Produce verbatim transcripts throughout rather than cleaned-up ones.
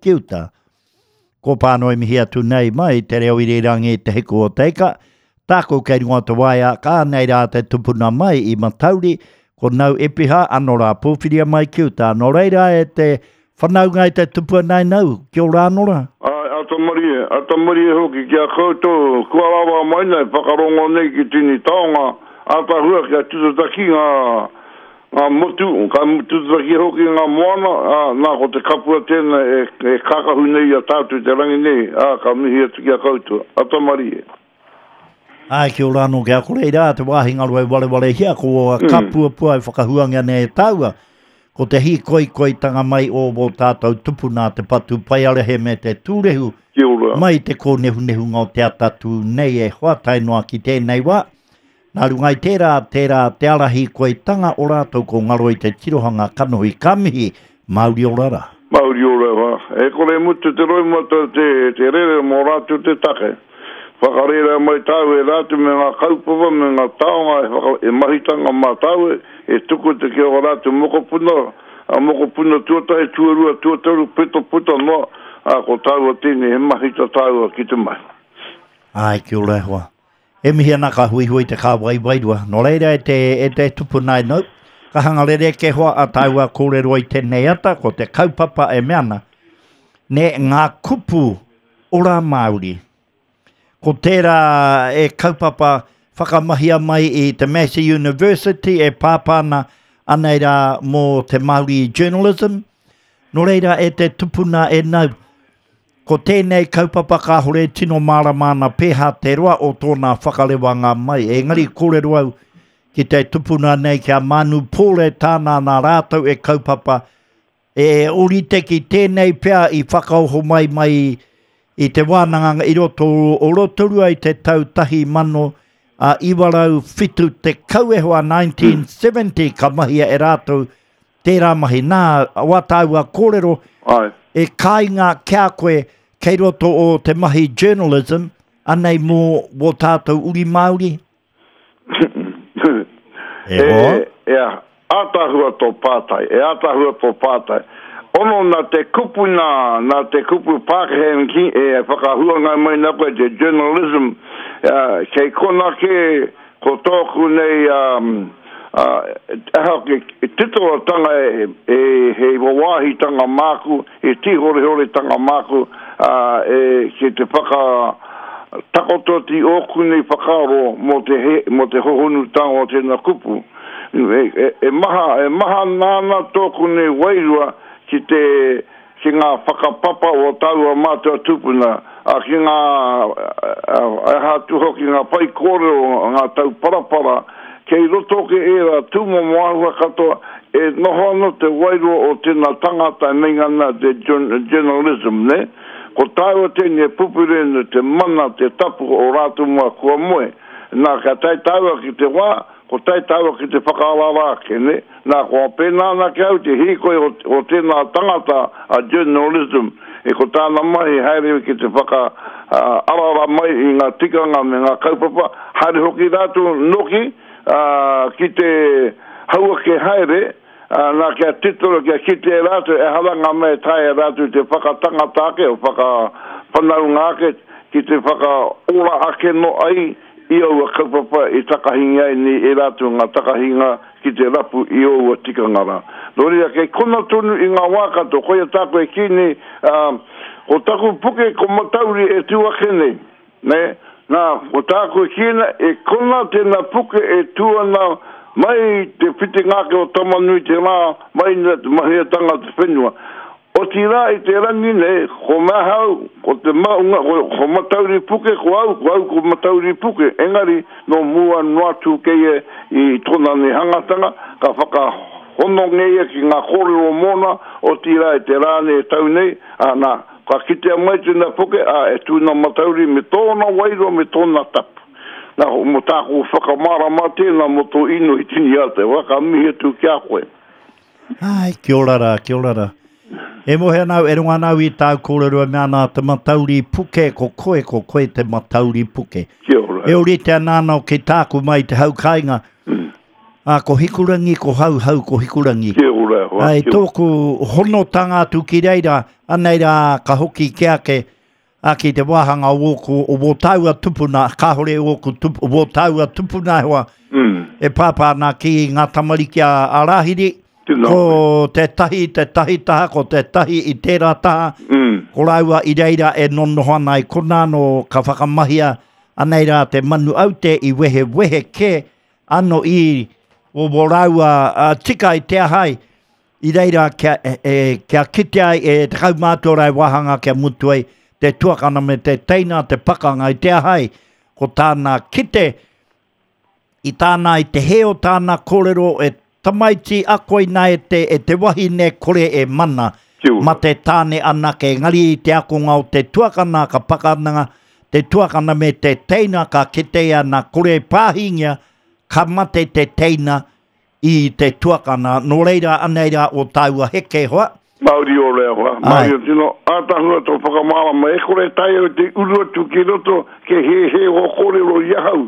ki uta. Ko pānoi mihi atu nei mai te reo irirangi te hiku o te ika. Tāku kei runga te waea, ka nei rā te tupuna mai i Matauri, ko Nau Epiha, ano rā pōwhiria mai ki uta. Nō reira e te whanaunga i te tupua nei nau, kia ora anō rā. Ai, ata marie, ata marie hoki ki a koutou, kua rawa mai nei, whakarongo nei ki tini taonga, ata hua kia tututaki ngā, ngā motu, ka tututaki hoki ngā moana, ā, nā ko te kapua tēnā e, e kakahu nei a tātou te rangi nei, ā, ka mihi atu ki a koutou, ata marie. Ai, kia ora anō kia kore rā, te wāhi ngaro e warewarehia, ko mm. kapuapua e whakahuangia nei e tāua. Ko te hīkoikoitanga mai o wō tātou tupuna te patu paiarehe me te tūrehu. Kia ora. Mai te kōnehunehunga o te atatu nei e hoa tae noa ki tēnei wā. Nā runga i tērā, tērā te ara hīkoitanga o rātou ko ngaro i te tirohanga kanohi ka mihi, Māori ora rā. Māori ora wā. E kore mutu te roimata te, te rere mō rātou te take. Whakarera mai tāu e rātou me ngā kaupapa, me ngā taonga e, whaka, e mahitanga mā tāu e tuku te ki o rātou mokopuna, a mokopuna tuatahi, tuarua, tuatoru, pito puta noa, a ko tāua tēnei he mahita tāua ki te mahi. Ai, kia ora e hoa. E mihi ana ka huihui te kāwai wairua. Nō reira e te, e te tupuna e nau, ka hanga rere ke hoa a tāua kōrero i tēnei ata, ko te kaupapa e mea ana, ne ngā kupu ora Māori. Ko tērā e kaupapa whakamahia mai i te Massey University e pāpāna anei rā mō te Māori journalism. Nō reira e te tupuna e nau, ko tēnei kaupapa kāhore tino mārama ana pēhā te roa o tōna whakarewanga mai. Engari kōrero au ki te tupuna nei kia Manu Pōre tāna nā rātou e kaupapa e orite ki tēnei pea i whakaoho mai mai i te wānanga i roto o Rotorua i te tau tahi mano a iwarau whitu te kauehoa nineteen seventy ka mahia e rātou tērā mahi. Nā, wā tāua kōrero Ai. e kāinga kia koe kei roto o te mahi journalism, anei mō wō tātou uri Māori? E hoa? E, e, ātahua tō pātai, e ātahua tō pātai. Ono nā te kupu nā, nā te kupu Pākehā ki, e whakahuanga mai nā koe te journalism, uh, kei kona ke ko tōku nei um, uh, aha ke titolotanga e, e, he wawāhitanga māku, e tīhorehoretanga māku, uh, e, ki te whaka takoto ti ōku nei whakaaro mō te, he, mō te hohonutanga o tēnā kupu. E, e, e maha, e maha nāna tōku nei wairua ki te ki ngā whakapapa o taua mātua tupuna, a ki ngā aha atu hoki ngā whai kōrero, ngā tau parapara, kei roto ke era tūmomo āhua katoa, e noho ana te wairua o tēnā tangata e meinga te journalism, ne? Ko tāua tēnei e pupurena te mana, te tapu o rātou mua kua moe. Nā, ka tae tāua ki te wā, ko tae tāua ki te whakaarara ake, ne? Nā, ko a pēnā ana ki au te hīkoi o, o tēnā tangata a journalism, e ko tāna mahi haere ki te whaka uh, arara mai i ngā tikanga me ngā kaupapa, haere hoki rātou noki uh, ki te hauake haere, uh, nā kia titoro, kia kite e rātou, e haranga me tae e rātou te whakatangata ake, o whakawhanaunga ake, ki te whakaora ake no ai, i aua kaupapa i takahinga ai ni e rātou ngā takahinga ki te rapu i aua tikanga rā. Nō reira, kei kona tonu i ngā wā katoa, koia tāku e kī nei, uh, ko taku puke ko Matauri e tū ake nei, ne? Nā, ko tāku e kī nei, e kona tēnā puke e tū ana mai te whitinga ake o Tamanui te rā, mai te mahiatanga te whenua. O tira i te rangi nei, ko mahau, ko te maunga, ko, ko Matauri Puke, ko au, ko au ko Matauri Puke. Engari, no mua noa tū keie i tōna nei hangatanga, ka whakahono ngeia ki ngā kōrero mōna, o tira i te rā nei e tau nei, a nā, ka kitea mai tēnā puke, a e tūna Matauri me tōna wairua me tōna tapu. Nā, mo tāku whakamārama tēnā mō tō ino i tini ate, wā ka mihi atu ki a koe. Ai, kia ora rā, kia ora rā. E mohe anau, e runga anau i tāu kōrero e mea ana te Matauri Puke, ko koe, ko koe te Matauri Puke. Kia ora. E orite ana anō ki tāku mai te hau kāinga. Mm. Ā, ko Hikurangi, ko Hau Hau, ko Hikurangi. Kia ora. ora e hoa. Ai, tōku honotanga atu ki reira, anei rā ka hoki ki ake, a ki te wāhanga o wōku, o wō tāua tupuna, kāhore o tup, o wō tāua tupuna hoa, mm. e pāpā ana ki ngā tamariki a, a Rāhiri, ko te tahi, te tahi taha, ko te tahi i tērā taha, mm. ko rāua i reira e nonoho ana i konā no ka whakamahia anei rā te manu aute i wehe wehe ke, ano i o wō rāua uh, tika i te ahai, i reira kia, e, e, kia kite ai e te kaumātua e wāhanga kia mutu ai te tuakana me te teina, te pakanga i te ahai, ko tāna kite, i tāna i te he o tāna kōrero e tamaiti akoina e te, e te wahine kore e mana, ma te tāne anake, engari i te akonga o te tuakana, ka pakanga, te tuakana me te teina, ka kite ana kore pāhingia, ka mate te teina i te tuakana. Nō reira anei rā o tāua heke hoa. Mauri o rea hoa. Mauri o tino ātahua tō whakamārama. E kore tai au te uru atu ki roto ke he he o kōrero i ahau.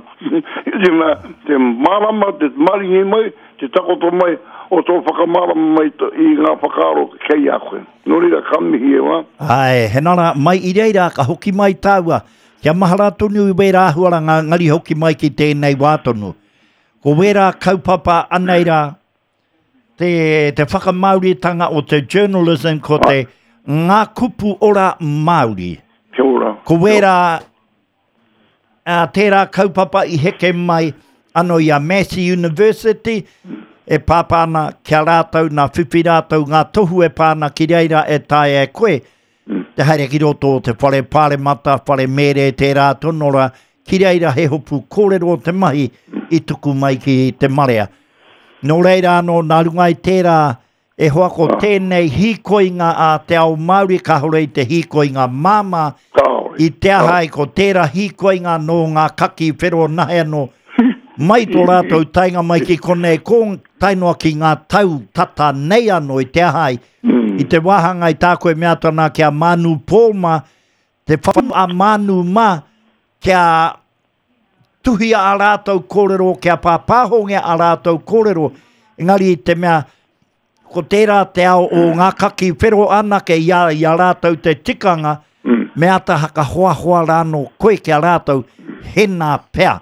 Te mea, te mārama, te maringi mai, te takoto mai o tō whakamārama mai to, i ngā whakaaro kei a koe. Nō reira, ka mihi e wā. Ai, he nara, mai i reira ka hoki mai tāua. Kia mahara tonu i wērā āhuaranga ngari hoki mai ki tēnei wā tonu. Ko wērā kaupapa anei rā, te, te whakamāoritanga o te journalism ko te ngā kupu ora Māori. Kia ora. Ko wērā, uh, tērā kaupapa i heke mai ano i a Massey University, e pāpā ana kia rātou, nā whiwhi rātou, ngā tohu e pāna ki reira e tae e koe. Te haere ki roto o te whare pāremata, whare mere, tērā tonora, ki reira he hopu kōrero o te mahi i tuku mai ki te marea. Nō reira anō, nā runga i tērā, e hoa ko tēnei hīkoinga a te ao Māori, kāhore i te hīkoinga māmā, i te ahai ko tērā hīkoinga nō ngā kaki whero nahe anō, mai tō rātou tainga mai ki konei, ko tae noa ki ngā tau tata nei anō i te ahai, i te wāhanga i tā koe mea tana kia Manu Pōma, te whau a Manu mā, kia tuhia a rātou kōrero, kia pāpāhongia a rātou kōrero, engari i te mea, ko tērā te ao o ngā kaki whero anake i a, i a rātou te tikanga, me ata haka hoa hoa rāno koe kia rātou, hena pea,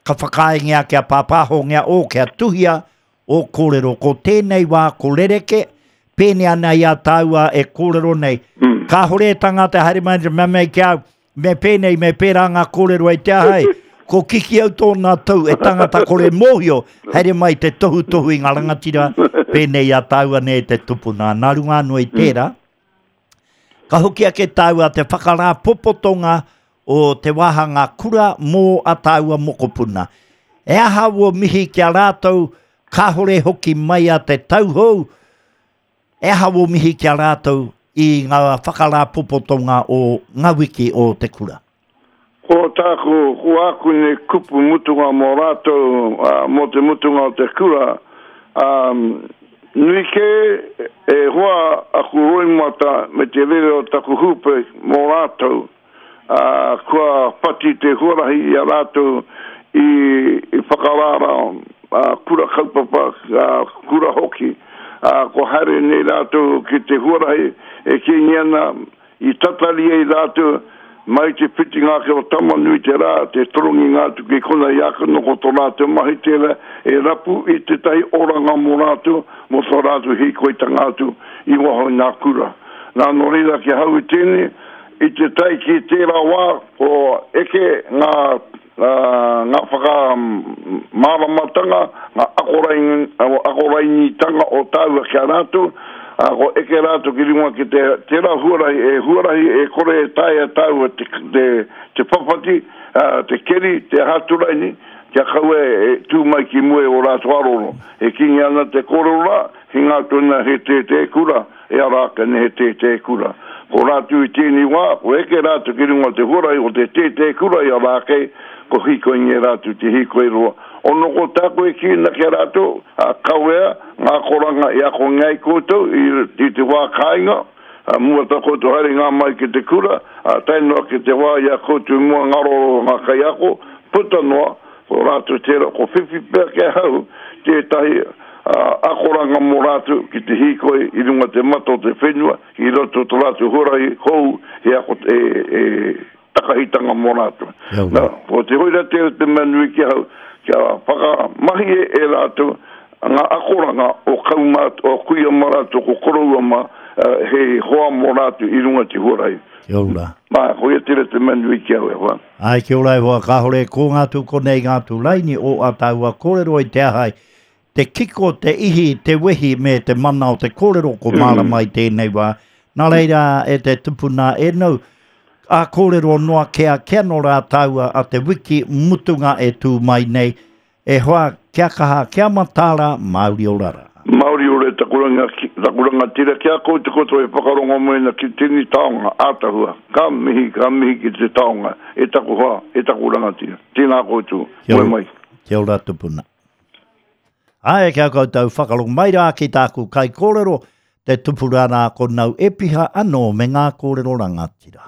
ka whakaengia kia pāpāhongia o, kia tuhia o kōrero. Ko tēnei wā ko rereke, pēne ana i a tāua e kōrero nei. Mm. Kāhore e tangata haere mai te mea mei kia au, me pēnei, me pērā ngā kōrero e te ahai, ko kiki au tōna tau e tangata kore mōhio, haere mai te tohu tohu i ngā rangatira, pēnei a tāua nei te tupuna. Nā runga anō i tērā, ka hoki ake tāua te whakarāpopotonga o te wāhanga kura mō a tāua mokopuna. E aha o mihi ki a rātou, kāhore hoki mai a te tauhou, e aha o mihi ki a rātou i ngā whakarāpopotonga o ngā wiki o te kura. Ko tāku, ko aku nei kupu mutunga mō rātou, uh, mō te mutunga o te kura, um, nui ke e hoa aku roimata me te rere o taku hupe mō rātou, uh, kua whati te huarahi i a rātou i, i whakarara uh, kura kaupapa, uh, kura hoki, uh, ko haere nei rātou ki te huarahi e kingi ana i tatari ai rātou mai te whitinga ake o Tamanui te rā, te torongi ngā tuki kona i aka no ko tō rātou mahi tērā e rapu i te tahi oranga mō rātou, mō tō rātou hīkoitanga atu i waho i ngā kura. Nā nō reira ki hau i tēnei, i te tai ki tērā wā, ko eke ngā, uh, ngā whakamāramatanga, ngā akorain, akorainitanga o tāua ki a rātou, uh, ko eke rātou ki runga ki te tērā huarahi, e huarahi e kore e taea tāua te, te, te papati, uh, te keri, te haturaini, kia kaua e tū mai ki mua o rātou aroro. E kingi ana te kōrero rā, hinga tōna he tētē kura, e ara ake ne he tētē kura. Ko rātou i tēnei wā, ko eke rātou ki runga te huarahi o te tētē kura i ara ake, ko hikoi nge rātou te hikoi roa. Ono ko tāku e kīna kia rātou, a kawea, ngā koranga i ako ngai koutou i, i te wā kāinga, a mua tā koutou haere ngā mai ki te kura, a tae noa ki te wā i a koutou mua ngaroro ngā kaiako, puta noa, ko rātou tērā, ko whiwhi pea ke hau, tētahi uh, akoranga mō rātou ki te hīkoi i runga te mata o te whenua, i roto tō rātou huarahi hou he ako e, e takahitanga mō rātou. Nā, ko te hoira te te mea nui ki ahau, kia whakamahi e, e rātou ngā akoranga o kaumāt, o kuia mā rātou, ko koroua mā, uh, he hoa mō rātou i runga te huarahi. Kia ora. Mā, ko ia tera te mea nui ki au e hoa. Ai, kia ora e hoa, kāhore ko ngā tū konei ngā tū laini o a tāua kōrero i te ahai. Te kiko, te ihi, te wehi me te mana o te kōrero ko mārama i tēnei wā. Nā reira e te tupuna e nau, a kōrero noa kea kia no rā tāua a te wiki mutunga e tū mai nei. E hoa, kia kaha, kia matara, Māori ora rā. Māori ora taku ranga, taku rangatira kia koutou koutou e whakarongo mai na ki tini taonga, ātahua. Ka mihi, ka mihi ki te taonga, e taku hoa, e taku rangatira. Tēnā koutou, Kia moe ora. mai. Kia ora tupuna. Ai, kia koutou whakarongo mai rā ki tāku kai kōrero, te tupura rā ko nau epiha anō me ngā kōrero rangatira.